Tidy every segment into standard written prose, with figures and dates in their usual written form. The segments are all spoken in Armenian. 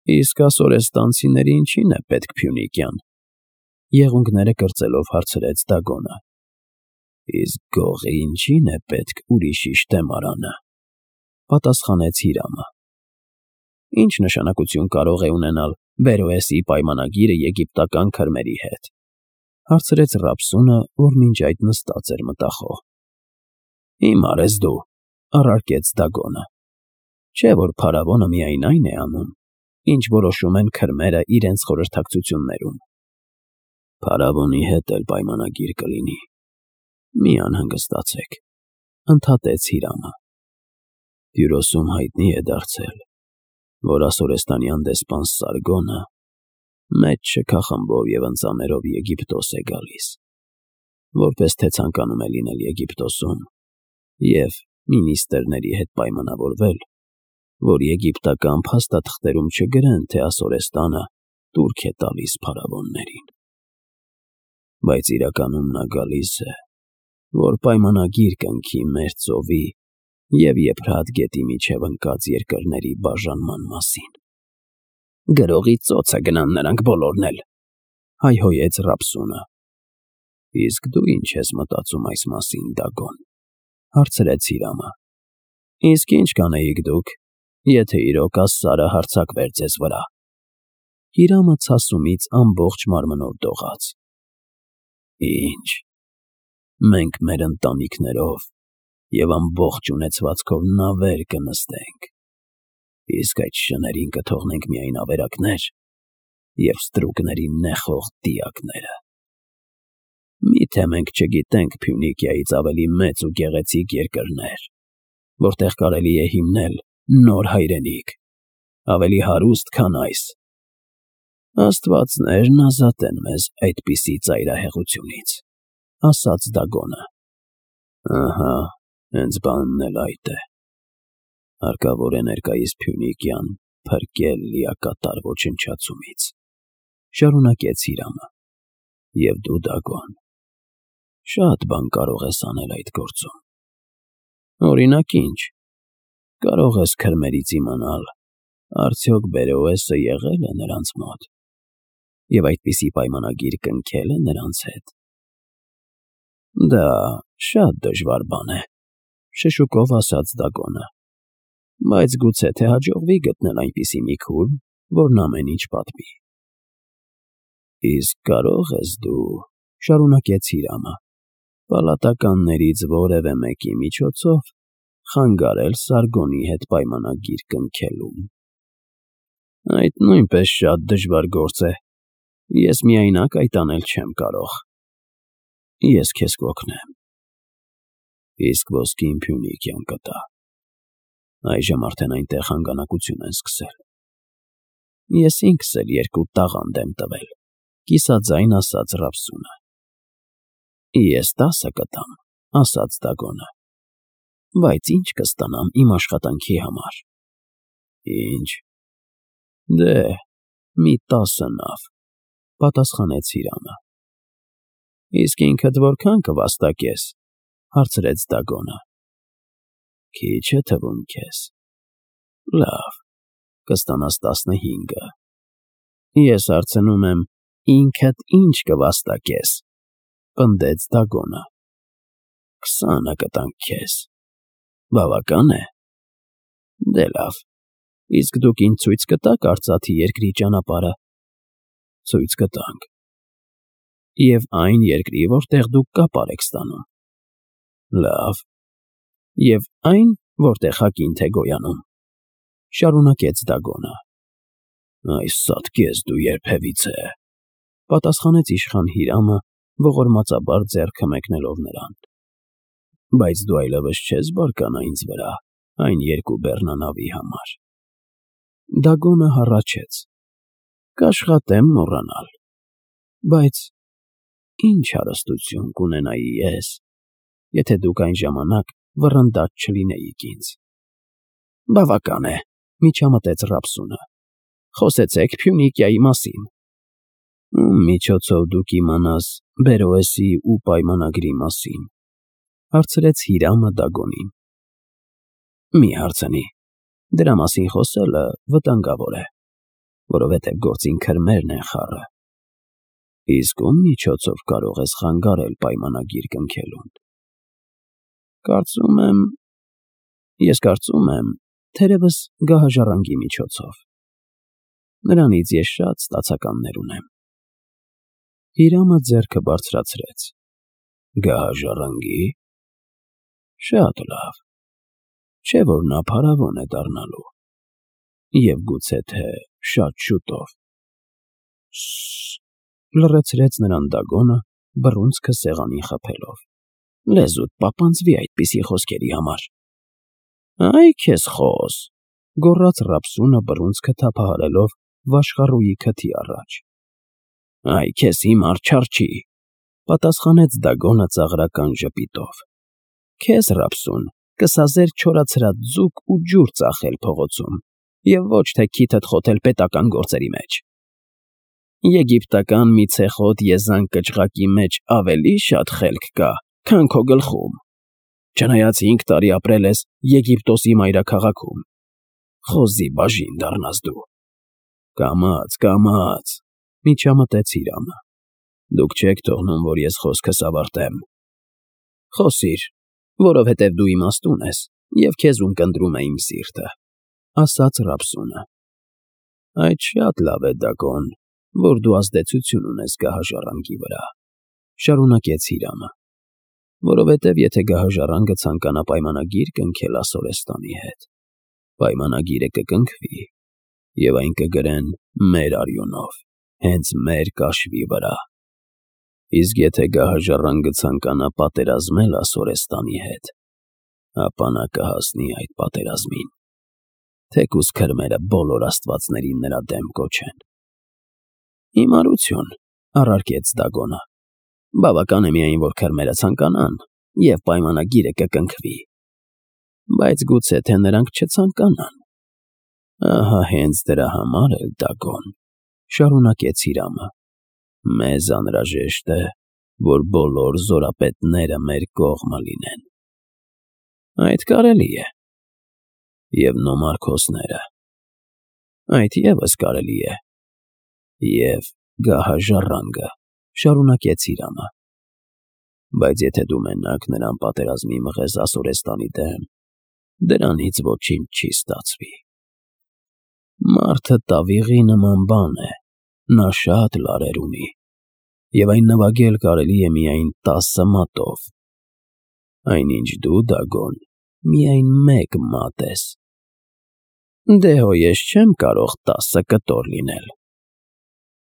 Իսկ ասորեստանցիների ինչին է պետք Փյունիկյան, եղունգները կրծելով հարցրեց Դագոնը։ Իսկ գողի ինչին է պետք ուրիշի շտեմարանը, պատասխանեց Հիրամը։ Ինչ նշանակություն կարող է ունենալ Բերոեսի պայմանագիրը եգիպտական քրմերի հետ, հարցրեց Ռապսունը, որ մինչ այդ նստած էր մտախոհ։ Հիմար ես դու, առարկեց Դագոնը։ Չէ՞ որ փարավոնը միայն այն է անում, ինչ որոշում են քրմերը իրենց խորհրդակցություններում։ Փարավոնի հետ էլ պայմանագիր կլինի։ Մի անհանգստացեք, ընդհատեց Հիրամը։ Տյուրոսում հայտնի է դարձել, որ ասորեստանյան դեսպան Սարգոնը մեծ շքախմբով և ընծաներով Եգիպտոս է գալիս, որպես թե ցանկանում է լինել Եգիպտոսում և մինիստրների հետ պայմանավորվել, որ եգիպտական փաստաթղթերում չգրեն, թե ասորեստանը տուրք է տալիս փարավոններին։ Բայց իրականում նա գալիս է, որ պայմանագիր կնքի մեր ծովի և Եփրատ գետի միջև ընկած երկրների բաժանման մասին։ Գրողի ծոցը գնան նրանք բոլորն էլ, հայհոյեց Ռապսունը։ Իսկ դու ինչ ես մտածում այս մասին, Դագոն, հարցրեց Հիրամը։ Իսկ ինչ կանեիք դուք, եթե իրոք Ասսարը հարձակվեր ձեզ վրա։ Հիրամը ցասումից ամբողջ մարմնով դողաց։ Ինչ։ Մենք մեր ընտանիքներով և ամբողջ ունեցվածքով նավեր կնստենք, իսկ այդ շներին կթողնենք միայն ավերակներ և ստրուկների նեխող դիակները։ Մի՞թե մենք չգիտենք Փյունիկիայից ավելի մեծ ու գեղեցիկ երկրներ, որտեղ կարելի է հիմնել նոր հայրենիք, ավելի հարուստ, քան այս։ Աստվածներն ազատեն մեզ այդպիսի ծայրահեղությունից, ասաց Դագոնը։ Ահա, հենց բանն էլ այդ է։ Հարկավոր է ներկայիս Փյունիկյան փրկել լիակատար ոչնչացումից, շարունակեց Հիրամը։ Եվ դու, Դագոն, շատ բան կարող ես անել այդ գործում։ Օրինակ ինչ։ Կարող ես քրմերից իմանալ, արդյոք Բերոեսը եղել է նրանց մոտ և այդպիսի պայմանագիր կնքել է նրանց հետ։ Դա շատ դժվար բան է, շշուկով ասաց Դագոնը, բայց գուցե թե հաջողվի գտնել այնպիսի մի քուր, որն ամեն ինչ պատմի։ Իսկ կարող ես դու, շարունակեց Հիրամը, պալատականներից որևէ մեկի միջոցով խանգարել Սարգոնի հետ պայմանագիր կնքելուն։ Այդ նույնպես շատ դժվար գործ է։ Ես միայնակ այդ անել չեմ կարող։ Ես քեզ կօգնեմ։ Իսկ ոսկին Փյունիկյան կտա։ Այժմ արդեն այնտեղ հանգանակություն են սկսել։ Ես ինքս էլ 2 տաղանդ եմ տվել, կիսաձայն ասաց Ռապսունը։ Ես 10 կտամ, ասաց Դագոնը։ Բայց ինչ կստանամ իմ աշխատանքի համար։ Ինչ։ Դե, մի 10 նավ, պատասխանեց Հիրամը։ Իսկ ինքդ որքան կվաստակես, հարցրեց Դագոնը։ Քիչ է թվում քեզ։ Լավ, կստանաս 15։ Ես հարցնում եմ, ինքդ ինչ կվաստակես, պնդեց Դագոնը։ 20 կտանք քեզ։ Բավական է։ Դե լավ, իսկ դուք ինձ ցույց կտաք արծաթի երկրի ճանապարհը։ Ցույց կտանք։ Եվ այն երկրի, որտեղ դուք կապար եք ստանում։ Լավ։ Եվ այն, որտեղ հակինդ է գոյանում, շարունակեց Դագոնը։ Այս սատկի ես դու երբևիցե, պատասխանեց իշխան Հիրամը, ողորմածաբար ձեռքը մեկնելով նրան։ Բայց դու այլևս չես բարկանա ինձ վրա այն 2 բեռնանավի համար։ Դագոնը հառաչեց։ Կաշխատեմ մոռանալ։ Բայց ինչ հարստություն կունենայի ես, եթե դուք այն ժամանակ վռնդած չլինեիք ինձ։ Բավական է, միջամտեց Ռապսունը։ Խոսեցեք Փյունիկիայի մասին։ Ում միջոցով դուք իմանաս Բերոեսի ու պայմանագրի մասին, հարցրեց Հիրամը Դագոնին։ Մի հարցնի, դրա մասին խոսելը վտանգավոր է։ որովհետև գործին քրմերն են խառը։ Իսկ ում միջոցով կարող ես խանգարել պայմանագիր կնքելուն։ Ես կարծում եմ, թերևս գահաժառանգի միջոցով։ Նրանից ես շատ ստացականներ ունեմ։ Հիրամը ձեռքը բարձրացրեց։ Գահաժառանգի։ Շատ լավ։ Չէ՞ որ նա փարավոն է դառնալու։ Եվ գուցե թե շատ շուտով։ Լռեցրեց նրան Դագոնը, բռունցքը սեղանին խփելով։ Լեզուդ պապանձվի այդպիսի խոսքերի համար։ Այ քեզ խոս, գոռաց Ռաբսունը բռունցքը թափահարելով վաշխառուի քթի առաջ։ Այ քեզ հիմար չարչի, պատասխանեց Դագոնը ծաղրական ժպիտով։ Քեզ Ռաբսուն կսազեր չորացրած ձուկ ու ջուր ծախել փողոցում, եւ ոչ թե քիթդ խոթել պետական գործերի մեջ։ Եգիպտական մի ցեխոտ եզան կճղակի մեջ ավելի շատ խելք կա, քան քո գլխում, չնայած 5 տարի ապրել ես Եգիպտոսի մայրաքաղաքում։ Խոզի բաժին դառնաս դու։ Կամաց, միջամտեց Հիրամը։ Դուք չեք թողնում, որ ես խոսքս ավարտեմ։ Խոսիր, որովհետև դու իմաստուն ես, և քեզ ունկնդրում է իմ սիրտը, ասաց Ռաբսունը։ Այդ շատ լավ է, Դագոն, որ դու ազդեցություն ունես գահաժառանգի վրա, շարունակեց Հիրամը, որովհետև եթե գահաժառանգը ցանկանա պայմանագիր կնքել Ասորեստանի հետ, պայմանագիրը կկնքվի, և այն կգրեն մեր արյունով, հենց մեր կաշվի վրա։ Իսկ եթե գահաժառանգը ցանկանա պատերազմել Ասորեստանի հետ, ապա նա կհասնի այդ պատերազմին, թեկուզ քրմերը բոլոր աստվածներին նրա դեմ կոչեն։ Հիմարություն, առարկեց Դագոնը, բավական է միայն, որ քրմերը ցանկանան, և պայմանագիրը կկնքվի։ Բայց գուցե թե նրանք չցանկանան։ Ահա հենց դրա համար էլ, Դագոն, շարունակեց Հիրամը, մեզ անհրաժեշտ է, որ բոլոր զորապետները մեր կողմը լինեն։ Այդ կարելի է։ Եվ նոմարքոսները։ Այդ ևս կարելի է։ Եվ գահաժառանգը, շարունակեց Հիրամը։ Բայց եթե դու մենակ նրան պատերազմի մղես Ասորեստանի դեմ, դրանից ոչինչ չի ստացվի։ Մարդը տավիղի նման բան է, նա շատ լարեր ունի, և այն նվագել կարելի է միայն 10 մատով։ Այնինչ դու, Դագոն, միայն 1 մատ ես։ Դե հո ես չեմ կարող 10 կտոր լինել,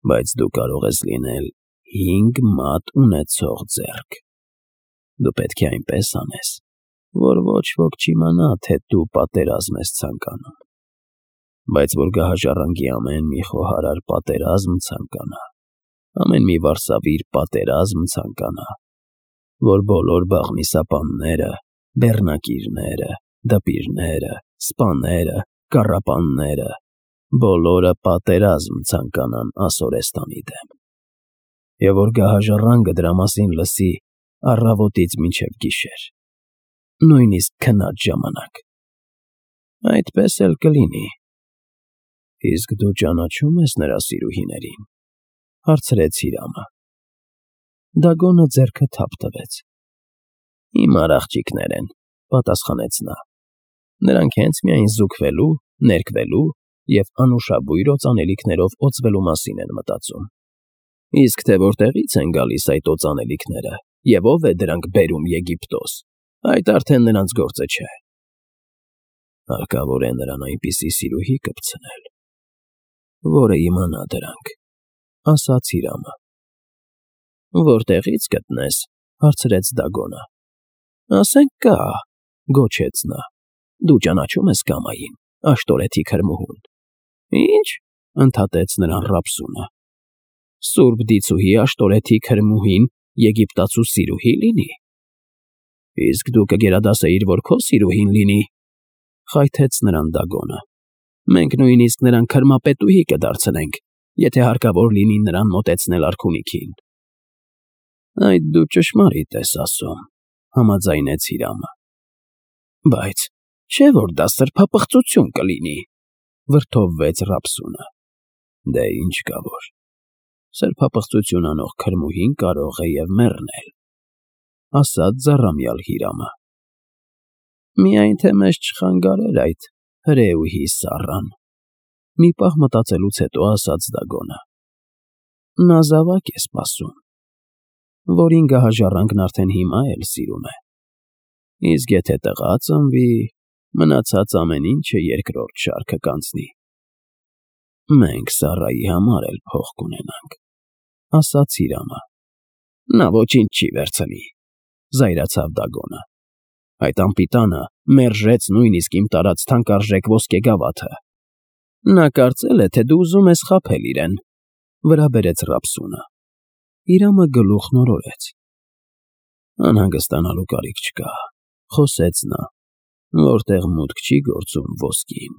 բայց դու կարող ես լինել 5 մատ ունեցող ձեռք։ Դու պետք է այնպես անես, որ ոչ ոք չիմանա, թե դու պատերազմ ես ցանկանում, բայց որ գահաժառանգի ամեն մի խոհարար պատերազմ ցանկանա, ամեն մի վարսավիր պատերազմ ցանկանա, որ բոլոր բաղնիսապանները, բեռնակիրները, դպիրները, սպաները, կառապանները, բոլորը պատերազմ ցանկանան Ասորեստանի դեմ, և որ գահաժառանգը դրա մասին լսի առավոտից մինչև գիշեր, նույնիսկ քնած ժամանակ։ Այդպես էլ կլինի։ Իսկ դու ճանաչո՞ւմ ես նրա սիրուհիներին, հարցրեց Հիրամը։ Դագոնը ձեռքը թափ տվեց։ Հիմար աղջիկներ են, պատասխանեց նա։ Նրանք հենց միայն զուգվելու, ներկվելու և անուշաբույր օծանելիքներով օծվելու մասին են մտածում։ Իսկ թե որտեղից են գալիս այդ օծանելիքները, և ով է դրանք բերում Եգիպտոս, այդ արդեն նրանց գործը չէ։ Հարկավոր է նրան այնպիսի սիրուհի կպցնել, որը իմանա դրանք, ասաց Հիրամը։ Որտեղից գտնես, հարցրեց Դագոնը։ Ասենք կա, գոչեց նա։ Դու ճանաչում ես Կամային, Աշտորեթի քրմուհուն։ Ինչ, ընդհատեց նրան Ռաբսունը։ Սուրբ դիցուհի Աշտորեթի քրմուհին Եգիպտացու սիրուհի լինի։ Իսկ դու կգերադասեիր, որ քո սիրուհին լինի, խայթեց նրան Դագոնը։ Մենք նույնիսկ նրան քրմապետուհի կդարձնենք, եթե հարկավոր լինի նրան մոտեցնել արքունիքին։ Այդ դու ճշմարիտ ես ասում, համաձայնեց Հիրամը։ Բայց չէ՞ որ դա սրբապղծություն կլինի, վրդովվեց Ռաբսունը։ Դե ինչ կա որ, սրբապղծություն անող քրմուհին կարող է և մեռնել, ասաց ձառամյալ Հիրամը։ Միայն թե մեզ չխանգարեր այդ հրեուհի սառան, մի պահ մտածելուց հետո ասաց Դագոնը։ Նա զավակ է սպասում, որին գահաժառանգն արդեն հիմա էլ սիրում է, իսկ եթե տղա ծնվի, մնացած ամեն ինչը երկրորդ շարքը կանցնի։ Մենք Սառայի համար էլ փող կունենանք, ասաց Հիրամը։ Նա ոչինչ չի վերցնի, զայրացավ Դագոնը։ Այդ անպիտանը մերժեց նույնիսկ իմ տարած թանկարժեք ոսկե գավաթը։ Նա կարծել է, թե դու ուզում ես խաբել իրեն, վրա բերեց Ռապսունը։ Հիրամը գլուխն օրորեց։ Անհանգստանալու կարիք չկա, խոսեց նա, որտեղ մուտք չի գործում ոսկին,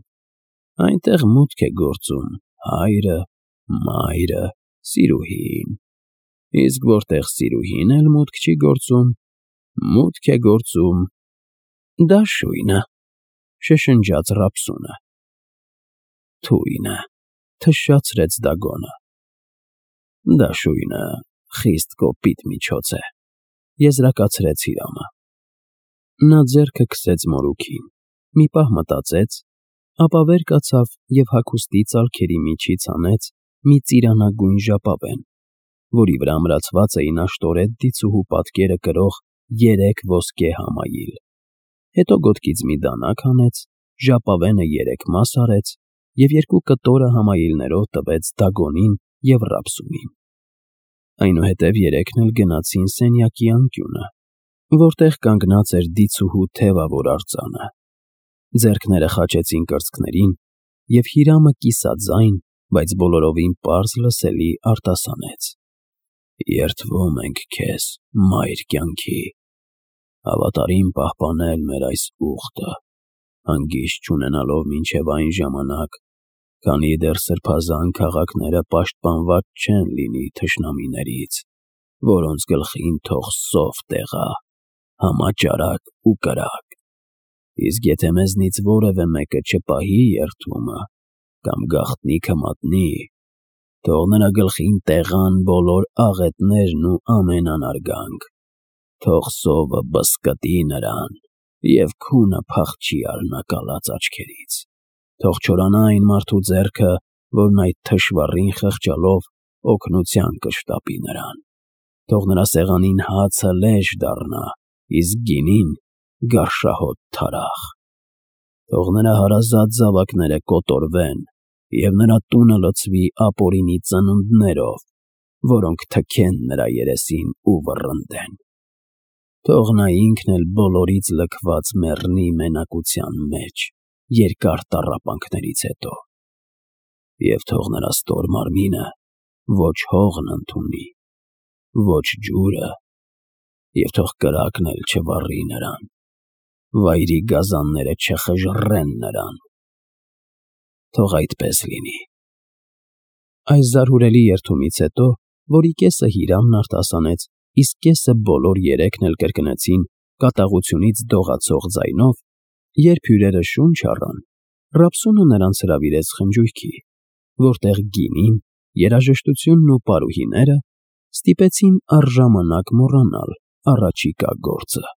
այնտեղ մուտք է գործում հայրը, մայրը, սիրուհին, իսկ որտեղ սիրուհին էլ մուտք չի գործում, մուտք է գործում դաշույնը, շշնջաց Ռապսունը։ Թույնը, թշշացրեց Դագոնը։ Դաշույնը խիստ կոպիտ միջոց է, եզրակացրեց Հիրամը։ Նա ձեռքը քսեց մորուքին, մի պահ մտածեց, ապա վեր կացավ և հագուստի ծալքերի միջից հանեց մի ծիրանագույն ժապավեն, որի վրա ամրացված էին աշտորետ դիցուհու պատկերը կրող 3 ոսկե համայիլ։ Հետո գոտքից մի դանակ հանեց, ժապավենը 3 մաս արեց և 2 կտորը համայիլներով տվեց Դագոնին և Ռապսունին։ Այնուհետև երեքն էլ գնացին սենյակի անկյունը, որտեղ կանգնած էր դիցուհու թևավոր արձանը։ Ձեռքները խաչեցին կրծքներին, և Հիրամը կիսաձայն, բայց բոլորովին պարզ լսելի արտասանեց. Երդվում ենք քեզ, մայր կյանքի, հավատարիմ պահպանել մեր այս ուխտը, հանգիստ չունենալով մինչև այն ժամանակ, քանի դեռ սրբազան քաղաքները պաշտպանված չեն լինի թշնամիներից, որոնց գլխին թող սով տեղա, համաճարակ ու կրակ, իսկ եթե մեզնից որևէ մեկը չպահի երդումը կամ գաղտնիքը մատնի, թող նրա գլխին տեղան բոլոր աղետներն ու ամեն անարգանք, թող սովը բզկտի նրան և քունը փախչի արնակալած աչքերից, թող չորանա այն մարդու ձեռքը, որն այդ թշվառին խղճալով օգնության կշտապի նրան, թող նրա սեղանին հացը լեժ դառնա, իսկ գինին գարշահոտ թարախ, թող նրա հարազատ զավակները կոտորվեն և նրա տունը լցվի ապօրինի ծնունդներով, որոնք թքեն նրա երեսին ու վռնդեն, թող նա ինքն էլ բոլորից լքված մեռնի մենակության մեջ երկար տառապանքներից հետո, և թող նրա ստոր մարմինը ոչ հողն ընդունի, ոչ ջուրը, և թող կրակն էլ չվառի նրան, վայրի գազանները չխժռեն նրան, թող այդպես լինի։ Այս զարհուրելի երդումից հետո, որի կեսը Հիրամն արտասանեց, իսկ կեսը բոլոր երեքն էլ կրկնեցին կատաղությունից դողացող ձայնով, երբ հյուրերը շունչ առան, Ռապսունը նրանց հրավիրեց խնջույքի, որտեղ գինին, երաժշտությունն ու պարուհիները ստիպեցին առժամանակ մոռանալ առաջիկա գործը։